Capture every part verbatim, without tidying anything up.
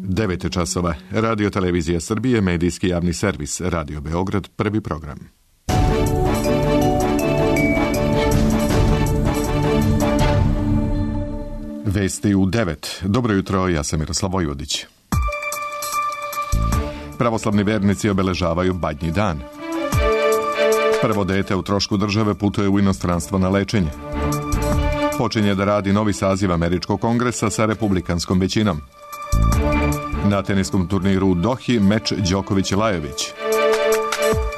devet časova. Radio Televizija Srbije, medijski javni servis, Radio Beograd, prvi program. Vesti u devet. Dobro jutro, ja sam Miroslav Vojvodić. Pravoslavni vernici obeležavaju Badnji dan. Prvo dete u trošku države putuje u inostranstvo na lečenje. Počinje da radi novi saziv Američkog kongresa sa republikanskom većinom. Na teniskom turniru u Dohi meč Đoković-Lajović.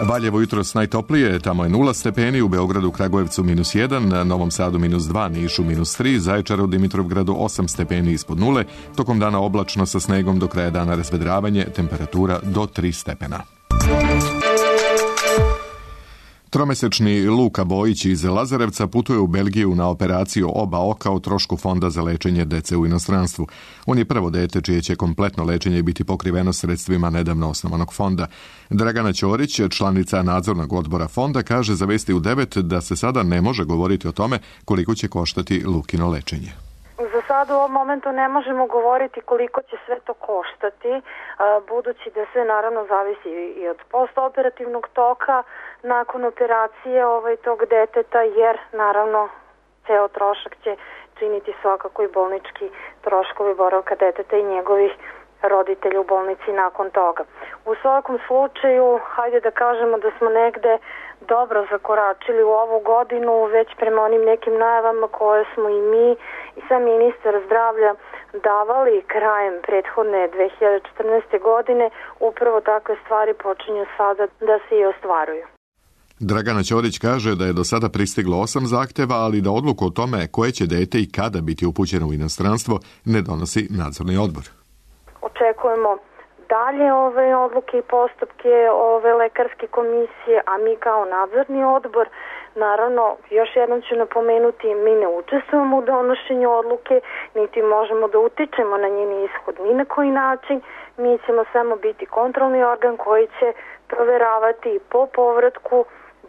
Valjevo jutros najtoplije, tamo je nula stepeni, u Beogradu, Kragujevcu minus jedan, na Novom Sadu minus dva, Nišu minus tri, Zaječaru, Dimitrovgradu osam stepeni ispod nule, tokom dana oblačno sa snegom, do kraja dana razvedravanje, temperatura do tri stepena. Tromesečni Luka Bojić iz Lazarevca putuje u Belgiju na operaciju oba oka o trošku Fonda za lečenje dece u inostranstvu. On je prvo dete čije će kompletno lečenje biti pokriveno sredstvima nedavno osnovanog fonda. Dragana Ćorić, članica nadzornog odbora fonda, kaže za Vesti u devet da se sada ne može govoriti o tome koliko će koštati Lukino lečenje. Za sad u ovom momentu ne možemo govoriti koliko će sve to koštati, budući da sve naravno zavisi i od postoperativnog toka nakon operacije ovaj, tog deteta, jer naravno ceo trošak će činiti svakako i bolnički troškovi boravka deteta i njegovih roditelja u bolnici nakon toga. U svakom slučaju, hajde da kažemo da smo negde dobro zakoračili u ovu godinu, već prema onim nekim najavama koje smo i mi i sam ministar zdravlja davali krajem prethodne dve hiljade četrnaeste. godine, upravo takve stvari počinju sada da se i ostvaruju. Dragana Ćorić kaže da je do sada pristiglo osam zahteva, ali da odluku o tome koje će dete i kada biti upućeno u inostranstvo ne donosi nadzorni odbor. Očekujemo dalje ove odluke i postupke ove lekarske komisije, a mi kao nadzorni odbor, naravno, još jednom ću napomenuti, mi ne učestvujemo u donošenju odluke, niti možemo da utičemo na njen ishod ni na koji način. Mi ćemo samo biti kontrolni organ koji će proveravati po povratku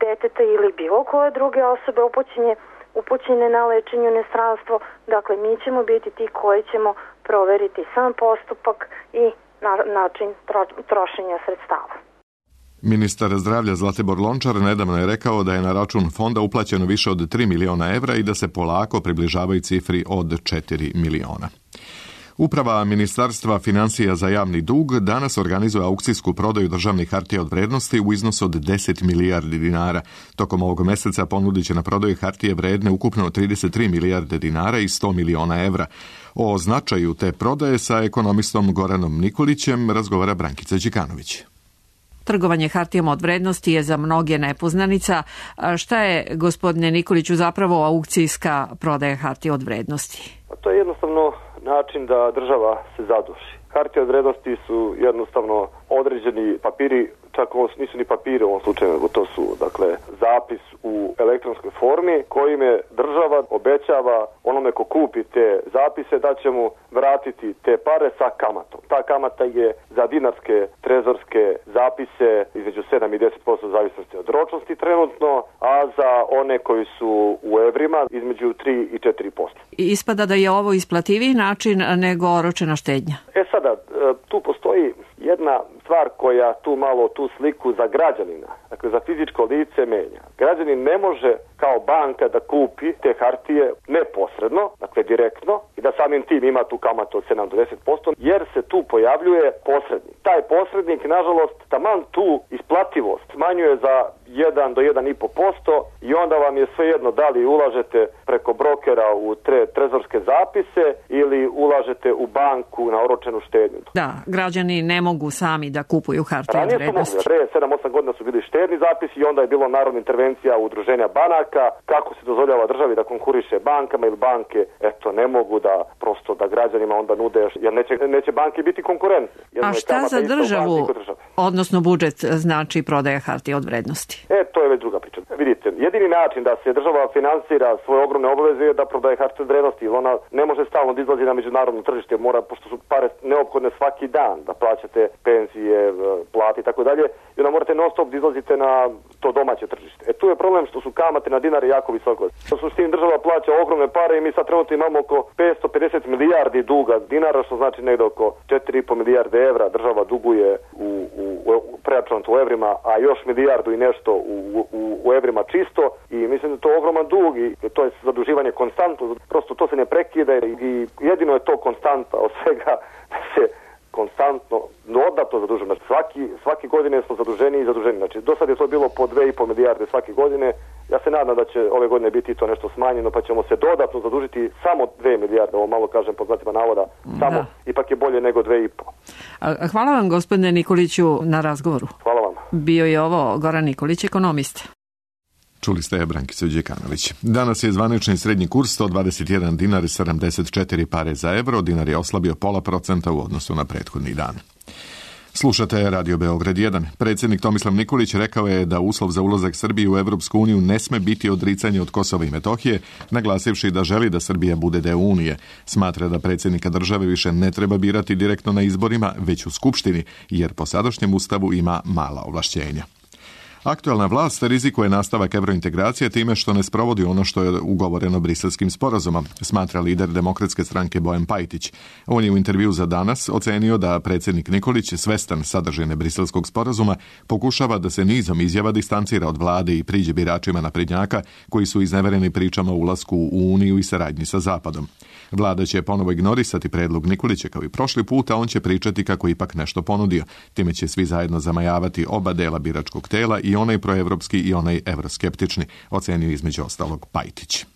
deteta ili bilo koje druge osobe upućene, upućene na lečenje u inostranstvo. Dakle, mi ćemo biti ti koji ćemo proveriti sam postupak i na način trošenja sredstava. Ministar zdravlja Zlatibor Lončar nedavno je rekao da je na račun fonda uplaćeno više od tri miliona evra i da se polako približavaju cifri od četiri miliona. Uprava Ministarstva financija za javni dug danas organizuje aukcijsku prodaju državnih hartija od vrednosti u iznosu od deset milijardi dinara. Tokom ovog meseca ponudit će na prodaju hartije vredne ukupno trideset tri milijarde dinara i sto miliona evra. O značaju te prodaje sa ekonomistom Goranom Nikolićem razgovara Brankica Đikanović. Trgovanje hartijama od vrednosti je za mnoge nepoznanica. Šta je, gospodine Nikoliću, zapravo aukcijska prodaja hartija od vrednosti? To je jednostavno način da država se zaduži. Hartije od vrednosti su jednostavno određeni papiri, čak ovo nisu ni papiri u ovom slučaju, nego to su dakle zapis u elektronskoj formi kojime država obećava onome ko kupi te zapise da će mu vratiti te pare sa kamatom. Ta kamata je za dinarske trezorske zapise između sedam i deset posto zavisnosti od ročnosti trenutno, a za one koji su u evrima između tri i četiri posto. I ispada da je ovo isplativiji način nego oročena štednja. E sada, tu postoji jedna stvar koja tu malo tu sliku za građanina, dakle za fizičko lice menja. Građanin ne može kao banka da kupi te hartije neposredno, dakle direktno, i da samim tim ima tu kamatu od sedam do deset posto, jer se tu pojavljuje posrednik. Taj posrednik, nažalost, taman tu isplativost smanjuje za jedan do jedan i po posto i onda vam je svejedno da li ulažete preko brokera u tre, trezorske zapise ili ulažete u banku na oročenu štednju. Da, građani ne mogu sami da kupuju hartije od vrednosti. Pre sedam osam godina su bili štedni zapisi i onda je bilo narodna intervencija udruženja banaka, kako se dozvoljava državi da konkuriše bankama ili banke, eto, ne mogu da prosto da građanima onda nude, jer neće, neće banke biti konkurentne. A šta za državu, odnosno budžet, znači prodaja hartije od vrednosti? moći? E, to je već druga priča. Vidite, jedini način da se država finansira svoje ogromne obaveze je da prodaje hartije od vrednosti, jer ona ne može stalno da izlazi na međunarodno tržište, mora, pošto su pare neophodne svaki dan, da plaćate penzije, plate i tako dalje, i onda morate non stop da izlazite na to domaće tržište. E, tu je problem što su kamate na dinare jako visoko. U suštini država plaća ogromne pare i mi sad trenutno imamo oko petsto pedeset milijardi duga dinara, što znači negde oko četiri i po milijarde evra država duguje u, u, u preračunato u evrima, a još milijardu i nešto u, u, u evrima čisto, i mislim da to je ogroman dug i to je zaduživanje konstantno, prosto to se ne prekida i jedino je to konstanta od svega da se konstantno, dodatno zadužujemo. Znači, svaki, svaki godine smo zaduženi i zaduženi. Znači, do sad je to bilo po dve i po milijarde svake godine. Ja se nadam da će ove godine biti to nešto smanjeno, pa ćemo se dodatno zadužiti samo dve milijarde, ovo malo kažem pod znacima navoda, samo, da. Ipak je bolje nego dve i po. Hvala vam, gospodine Nikoliću, na razgovoru. Hvala vam. Bio je ovo Goran Nikolić, ekonomista. Čuli ste Brankicu Đekanović. Danas je zvanični srednji kurs sto dvadeset jedan dinar i sedamdeset četiri pare za evro. Dinar je oslabio pola procenta u odnosu na prethodni dan. Slušate Radio Beograd jedan. Predsjednik Tomislav Nikolić rekao je da uslov za ulazak Srbije u Evropsku uniju ne sme biti odricanje od Kosova i Metohije, naglasivši da želi da Srbija bude deo Unije. Smatra da predsjednika države više ne treba birati direktno na izborima, već u Skupštini, jer po sadašnjem ustavu ima mala ovlašćenja. Aktualna vlast rizikuje nastavak evrointegracije time što ne sprovodi ono što je ugovoreno briselskim sporazumom, smatra lider Demokratske stranke Bojan Pajtić. On je u intervju za Danas ocenio da predsjednik Nikolić, svestan sadržine briselskog sporazuma, pokušava da se nizom izjava distancira od vlade i priđe biračima naprednjaka koji su iznevereni pričama o ulasku u Uniju i saradnji sa Zapadom. Vlada će ponovo ignorisati predlog Nikolića kao i prošli put, a on će pričati kako ipak nešto ponudio. Time će svi zajedno zamajavati oba dela biračkog tela, i onaj proevropski i onaj evroskeptični, ocenio između ostalog Pajtić.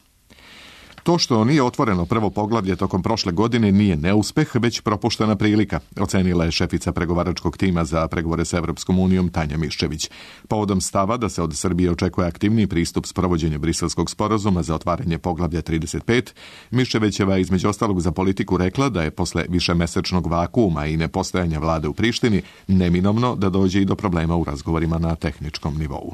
To što nije otvoreno prvo poglavlje tokom prošle godine nije neuspeh, već propuštena prilika, ocenila je šefica pregovaračkog tima za pregovore sa Evropskom unijom Tanja Miščević. Povodom stava da se od Srbije očekuje aktivniji pristup sprovođenju briselskog sporazuma za otvaranje poglavlja trideset pet, Miščevićeva između ostalog za Politiku rekla da je posle višemesečnog vakuuma i nepostojanja vlade u Prištini neminovno da dođe i do problema u razgovorima na tehničkom nivou.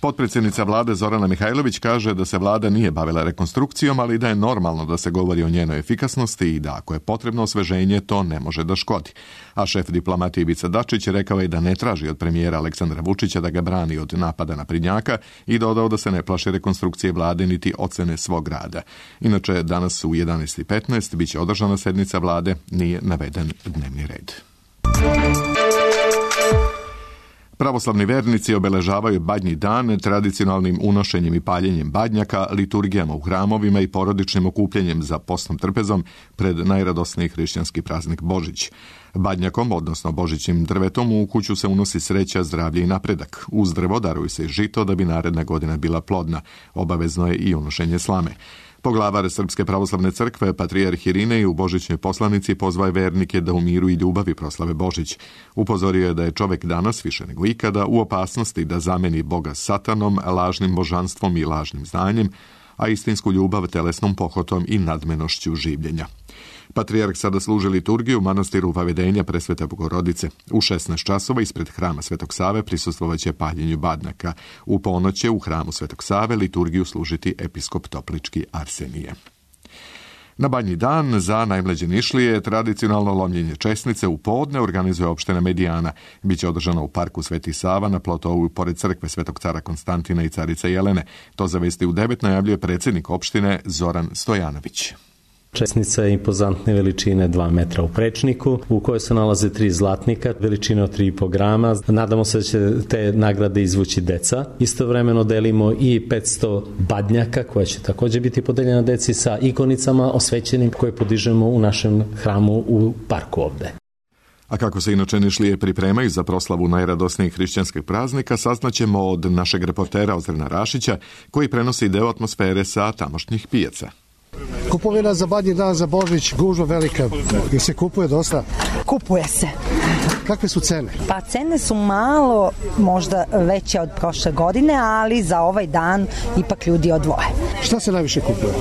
Potpredsjednica vlade Zorana Mihajlović kaže da se vlada nije bavila rekonstrukcijom, ali da je normalno da se govori o njenoj efikasnosti i da ako je potrebno osveženje, to ne može da škodi. A šef diplomatije Ivica Dačić rekao je da ne traži od premijera Aleksandra Vučića da ga brani od napada naprednjaka i dodao da se ne plaši rekonstrukcije vlade niti ocene svog rada. Inače, danas u jedanaest i petnaest biće održana sednica vlade, nije naveden dnevni red. Pravoslavni vernici obeležavaju Badnji dan tradicionalnim unošenjem i paljenjem badnjaka, liturgijama u hramovima i porodičnim okupljanjem za postnom trpezom pred najradosniji hrišćanski praznik Božić. Badnjakom, odnosno božićnim drvetom, u kuću se unosi sreća, zdravlje i napredak. Uz drvo daruju se i žito da bi naredna godina bila plodna. Obavezno je i unošenje slame. Poglavar Srpske pravoslavne crkve, patrijarh Irinej, u božićnoj poslanici pozvaje vernike da u miru i ljubavi proslave Božić. Upozorio je da je čovek danas više nego ikada u opasnosti da zameni Boga satanom, lažnim božanstvom i lažnim znanjem, a istinsku ljubav telesnom pohotom i nadmenošću življenja. Patrijarh sada služi liturgiju u manastiru Vavedenja Presvete Bogorodice. U šesnaest časova ispred hrama Svetog Save prisustvovaće paljenju badnjaka. U ponoć će u hramu Svetog Save liturgiju služiti episkop Toplički Arsenije. Na Badnji dan za najmlađe Nišlije tradicionalno lomljenje česnice u podne organizuje opština Medijana. Biće održano u parku Sveti Sava na plotovu pored crkve Svetog cara Konstantina i carice Jelene. To za vesti u devet najavljuje predsjednik opštine Zoran Stojanović. Česnica je impozantne veličine dva metra u prečniku, u kojoj se nalaze tri zlatnika, veličine od tri i po grama. Nadamo se da će te nagrade izvući deca. Istovremeno delimo i petsto badnjaka, koja će također biti podeljena deci sa ikonicama osvećenim koje podižemo u našem hramu u parku ovde. A kako se inače Nišlije pripremaju za proslavu najradosnijih hrišćanskih praznika, saznaćemo od našeg reportera Ozrena Rašića, koji prenosi deo atmosfere sa tamošnjih pijaca. Kupovina za Badnji dan, za Božić, gužva velika. I se kupuje dosta? Kupuje se. Kakve su cene? Pa cene su malo možda veće od prošle godine, ali za ovaj dan ipak ljudi odvoje. Šta se najviše kupuje?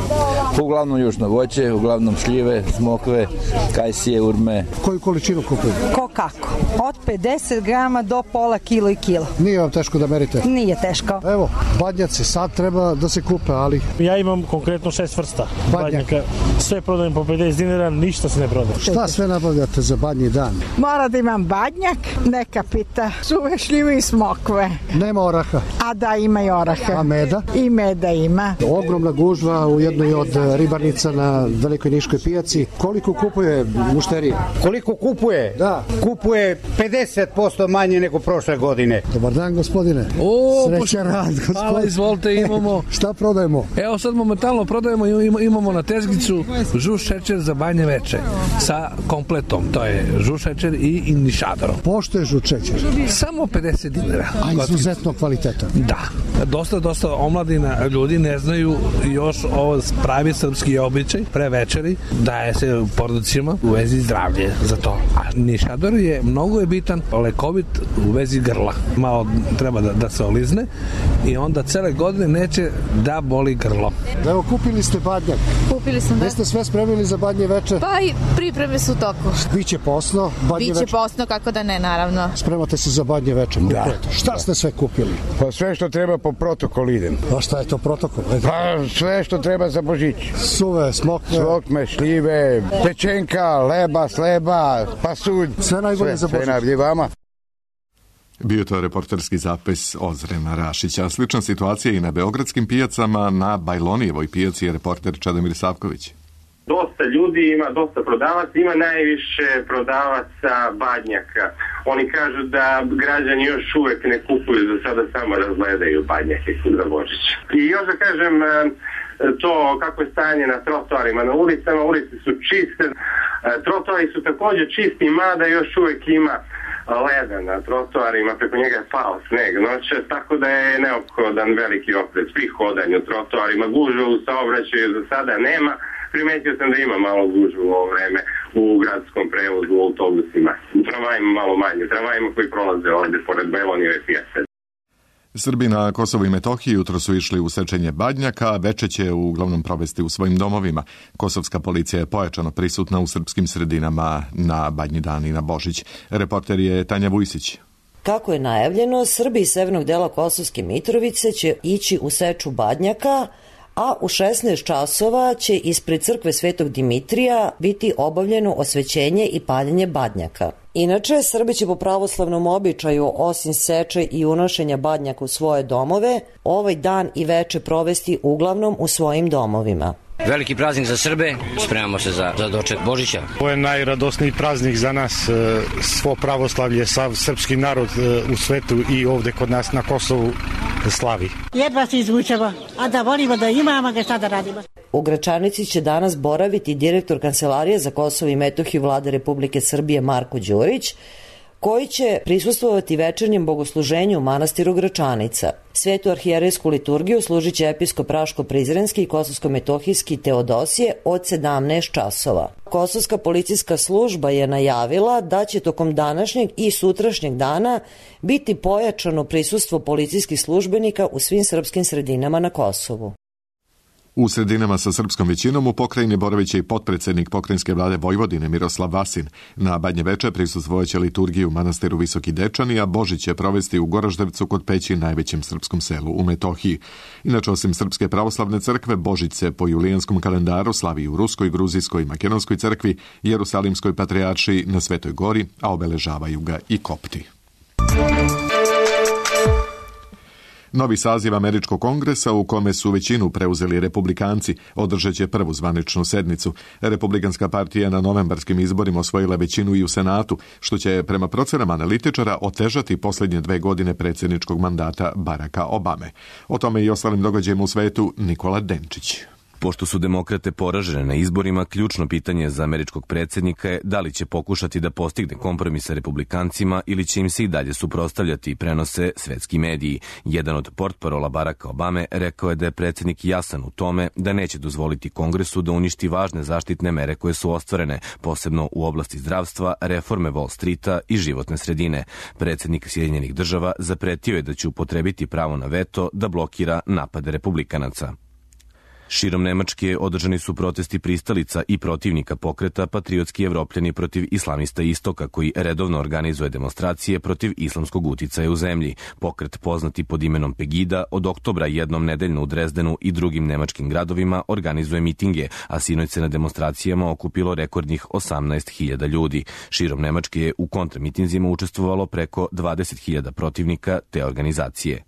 Uglavnom južno voće, uglavnom šljive, smokve, kajsije, urme. Koju količinu kupuju? Ko kako? Od pedeset grama do pola kilo i kilo. Nije vam teško da merite? Nije teško. Evo, badnjaci sad treba da se kupe, ali... Ja imam konkretno šest vrsta badnjaka. Sve prodajem po pedeset dinara, ništa se ne prodaje. Šta sve nabavljate za badnji dan? Mora da imam badnjak, neka pita, suve šljive i smokve. Nema oraha? A da, ima i oraha. A meda? I meda ima. Ogromna gužva u jednoj od ribarnica na Velikoj Niškoj pijaci. Koliko kupuje mušterija? Koliko kupuje? Da. Kupuje pedeset posto manje nego prošle godine. Dobar dan, gospodine. O, Sreća rad, gospodine. Hvala, izvolite, imamo... Šta prodajemo? Evo sad momentalno prodajemo, imamo na tezgicu žuš šećer za banje veče sa kompletom. To je žuš šećer i inišadorom. Pošto je žuš šećer? Samo pedeset dinara. A izuzetno kvaliteta. Da. Dosta, dosta omladina ljudi ne znaju još ovo pravi srpski običaj pre večeri, daje se porodicima u vezi zdravlje za to. A nišador je mnogo je bitan, lekovit u vezi grla. Malo treba da, da se olizne i onda cele godine neće da boli grlo. Evo, kupili ste badnjak. Kupili smo, da. Jeste sve spremili za badnje veče? Pa i pripreme su u toku. Biće posno, badnje Biće veče? posno, kako da ne, naravno. Spremate se za badnje veče? Da. Šta da. ste sve kupili? Pa sve što treba po protokolu idem. A šta je to protokol? Pa sve što treba za Božić. Suve, smokve. Smokve, šljive, pečenka, leba, sleba, pasulj. Sve najbolje sve, za Božić. Sve najbolje vama. Bio to reporterski zapis Ozrena Rašića. Slična situacija i na beogradskim pijacama, na Bajlonijevoj pijaci je reporter Čedomir Savković. Dosta ljudi ima, dosta prodavaca, ima najviše prodavaca badnjaka. Oni kažu da građani još uvek ne kupuju, za sada samo razgledaju badnjake za Božić. I još da kažem to kako je stanje na trotoarima, na ulicama, ulice su čiste, trotoari su također čisti, mada još uvek ima leda na trotoarima, preko njega je pao sneg noće, tako da je neophodan veliki oprez pri hodanju trotoarima. Gužve u saobraćaju za sada nema. Primetio sam da ima malo gužvu u ovo vreme u gradskom prevozu, u autobusima. U tramvajima malo manje, u tramvajima koji prolaze ovde pored Bajlonijeve pijace. Srbi na Kosovu i Metohiji jutro su išli u sečenje badnjaka, veče će uglavnom provesti u svojim domovima. Kosovska policija je pojačano prisutna u srpskim sredinama na Badnji dan i na Božić. Reporter je Tanja Vujsić. Kako je najavljeno, Srbi iz severnog dela Kosovske Mitrovice će ići u seču badnjaka, a u šesnaest časova će ispred crkve Svetog Dimitrija biti obavljeno osvećenje i paljenje badnjaka. Inače, Srbi će po pravoslavnom običaju, osim seče i unošenja badnjaka u svoje domove, ovaj dan i veče provesti uglavnom u svojim domovima. Veliki praznik za Srbe, spremamo se za, za doček Božića. Ovo je najradosniji praznik za nas, svo pravoslavlje, sav srpski narod u svetu i ovde kod nas na Kosovu slavi. Jedva se izvučemo, a da volimo da imamo ga šta da radimo. U Gračanici će danas boraviti direktor Kancelarije za Kosovo i Metohiju Vlade Republike Srbije Marko Đurić, koji će prisustvovati večernjem bogosluženju u manastiru Gračanica. Svetu arhijerejsku liturgiju služit će episkop Raško-Prizrenski i Kosovsko-Metohijski Teodosije od sedamnaest časova. Kosovska policijska služba je najavila da će tokom današnjeg i sutrašnjeg dana biti pojačano prisustvo policijskih službenika u svim srpskim sredinama na Kosovu. U sredinama sa srpskom većinom u pokrajini boraviće i potpredsednik pokrajinske vlade Vojvodine Miroslav Vasin. Na Badnje veče prisustvovaće liturgiju u manastiru Visoki Dečani, a Božić će provesti u Goraždevcu kod Peći, najvećem srpskom selu u Metohiji. Inače, osim Srpske pravoslavne crkve, Božić se po julijanskom kalendaru slavi u Ruskoj, Gruzijskoj i Makedonskoj crkvi, Jerusalimskoj patrijaršiji na Svetoj gori, a obeležavaju ga i kopti. Novi saziv Američkog kongresa, u kome su većinu preuzeli republikanci, održat će prvu zvaničnu sednicu. Republikanska partija na novembarskim izborima osvojila većinu i u Senatu, što će prema procenama analitičara otežati posljednje dve godine predsjedničkog mandata Baracka Obame. O tome i ostalim događajima u svetu Nikola Denčić. Pošto su demokrate poražene na izborima, ključno pitanje za američkog predsjednika je da li će pokušati da postigne kompromis sa republikancima ili će im se i dalje suprotstavljati, prenose svetski mediji. Jedan od portparola Baracka Obame rekao je da je predsjednik jasan u tome da neće dozvoliti Kongresu da uništi važne zaštitne mere koje su ostvarene, posebno u oblasti zdravstva, reforme Wall Streeta i životne sredine. Predsjednik Sjedinjenih država zapretio je da će upotrebiti pravo na veto da blokira napade republikanaca. Širom Nemačke održani su protesti pristalica i protivnika pokreta Patriotski Evropljani protiv islamista Istoka, koji redovno organizuje demonstracije protiv islamskog uticaja u zemlji. Pokret, poznati pod imenom Pegida, od oktobra jednom nedeljno u Drezdenu i drugim nemačkim gradovima organizuje mitinge, a sinoć se na demonstracijama okupilo rekordnih osamnaest hiljada ljudi. Širom Nemačke je u kontramitinzima učestvovalo preko dvadeset hiljada protivnika te organizacije.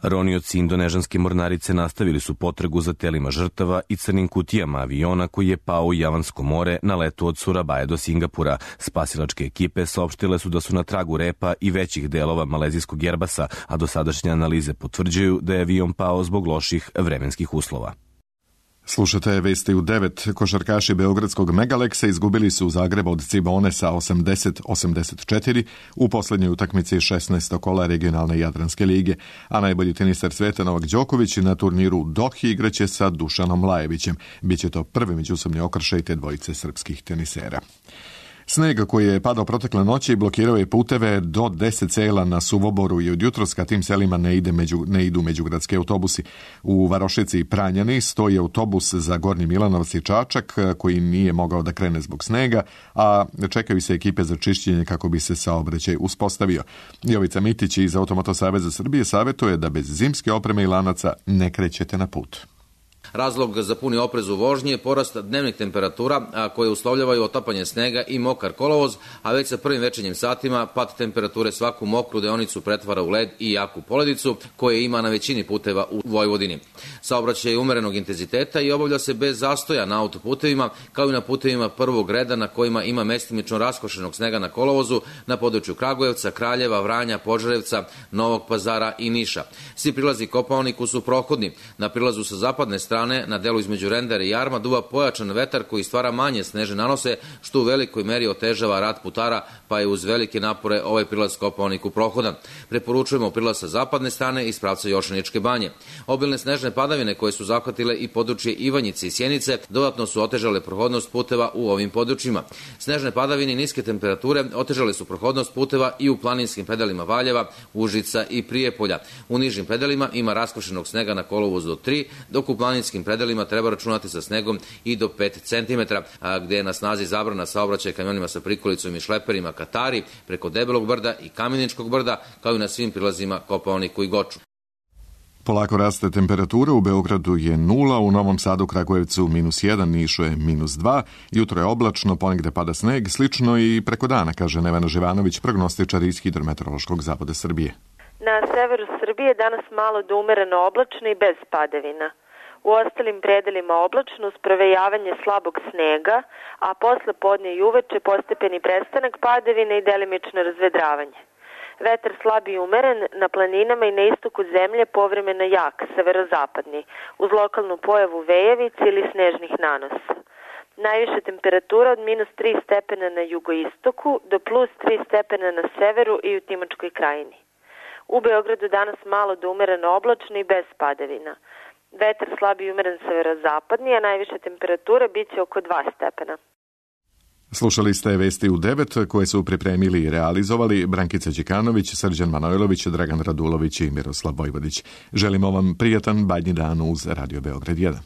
Ronioci indonežanske mornarice nastavili su potragu za telima žrtava i crnim kutijama aviona koji je pao u Javansko more na letu od Surabaje do Singapura. Spasilačke ekipe saopštile su da su na tragu repa i većih delova malezijskog Airbasa, a dosadašnje analize potvrđuju da je avion pao zbog loših vremenskih uslova. Slušate vesti u devet. Košarkaši beogradskog Megaleksa izgubili su u Zagrebu od Cibone sa osamdeset osamdeset četiri u poslednjoj utakmici šesnaestog kola regionalne Jadranske lige, a najbolji teniser sveta Novak Đoković na turniru u Dohi igraće sa Dušanom Lajevićem. Biće to prvi međusobni okršaj te dvojice srpskih tenisera. Sneg koji je padao protekle noći blokirao je puteve do deset sela na Suvoboru i od jutros ka tim selima ne, ide među, ne idu međugradski autobusi. U Varošici i Pranjani stoji autobus za Gornji Milanovac i Čačak koji nije mogao da krene zbog snega, a čekaju se ekipe za čišćenje kako bi se saobraćaj uspostavio. Jovica Mitić iz Automoto Saveza Srbije savjetuje da bez zimske opreme i lanaca ne krećete na put. Razlog za puni oprez u vožnji je porast dnevnih temperatura koje uslovljavaju otapanje snega i mokar kolovoz, a već sa prvim večernjim satima pad temperature svaku mokru deonicu pretvara u led i jaku poledicu koje ima na većini puteva u Vojvodini. Saobraćaj je umerenog intenziteta i obavlja se bez zastoja na autoputevima kao i na putevima prvog reda na kojima ima mestimično raskošenog snega na kolovozu na području Kragujevca, Kraljeva, Vranja, Požarevca, Novog Pazara i Niša. Svi prilazi Kopaoniku su prohodni. Na prilazu sa zapadne strane na delu između Rendera i Jarma duva pojačan vetar koji stvara manje snežne nanose, što u velikoj meri otežava rad putara, pa je uz velike napore ovaj prilaz Kopaoniku prohodan. Preporučujemo prilaz sa zapadne strane iz pravca Jošaničke banje. Obilne snežne padavine koje su zahvatile i područje Ivanjice i Sjenice dodatno su otežale prohodnost puteva u ovim područjima. Snežne padavine i niske temperature otežale su prohodnost puteva i u planinskim pedalima Valjeva, Užica i Prijepolja. U nižim pedalima ima raskošenog snega na kolovozu do tri, dok u planinskim predelima treba računati sa snegom i do pet centimetara, a gde je na snazi zabrana saobraćaja kamionima sa prikolicom i šleperima Katari preko Debelog brda i Kameničkog brda, kao i na svim prilazima Kopaoniku i Goču. Polako raste temperatura, u Beogradu je nula, u Novom Sadu, Kragujevcu minus jedan, Nišu je minus dva, jutro je oblačno, ponegde pada sneg, slično i preko dana, kaže Nevena Živanović, prognostičar iz Hidrometeorološkog zavoda Srbije. Na severu Srbije danas malo do umereno oblačno i bez padavina. U ostalim predelima oblačno uz provejavanje slabog snega, a posle podne i uveče postepeni prestanak padavine i delimično razvedravanje. Vetar slab i umeren, na planinama i na istoku zemlje povremeno jak, severozapadni, uz lokalnu pojavu vejevice ili snežnih nanosa. Najviša temperatura od minus tri stepena na jugoistoku do plus tri stepena na severu i u Timočkoj krajini. U Beogradu danas malo do umereno oblačno i bez padavina. Vetar slab i umeren severozapadni, a najviša temperatura biće oko dva stepena. Slušali ste vesti u devet koje su pripremili i realizovali Brankica Đikanović, Srđan Manojlović, Dragan Radulović i Miroslav Vojvodić. Želimo vam prijatan badnji dan uz Radio Beograd jedan.